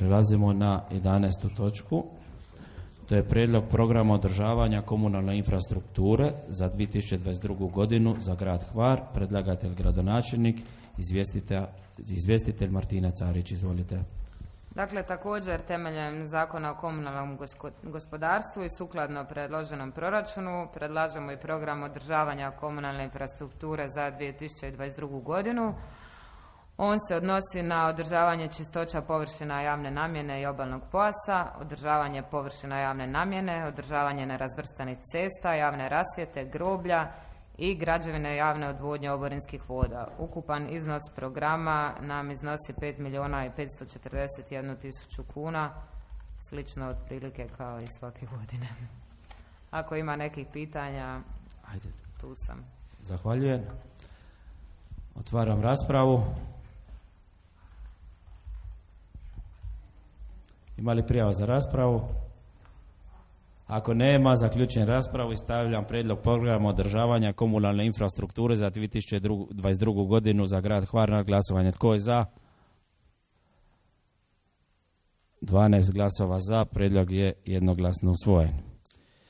Prelazimo na 11. točku. To je prijedlog programa održavanja komunalne infrastrukture za 2022. godinu za grad Hvar. Predlagatelj gradonačelnik, izvjestitelj Martina Carić. Izvolite. Dakle, također temeljem Zakona o komunalnom gospodarstvu i sukladno predloženom proračunu predlažemo i program održavanja komunalne infrastrukture za 2022. godinu. On se odnosi na održavanje čistoća površina javne namjene i obalnog pojasa, održavanje površina javne namjene, održavanje nerazvrstanih cesta, javne rasvjete, groblja i građevine javne odvodnje oborinskih voda. Ukupan iznos programa nam iznosi 5.541.000 kuna, slično otprilike kao i svake godine. Ako ima nekih pitanja, Ajde. Tu sam. Zahvaljujem. Otvaram raspravu. Ima li prijava za raspravu? Ako nema, zaključujem raspravu i stavljam prijedlog programa održavanja komunalne infrastrukture za 2022. godinu za grad Hvar na glasovanje. Tko je za? 12 glasova za. Prijedlog je jednoglasno usvojen.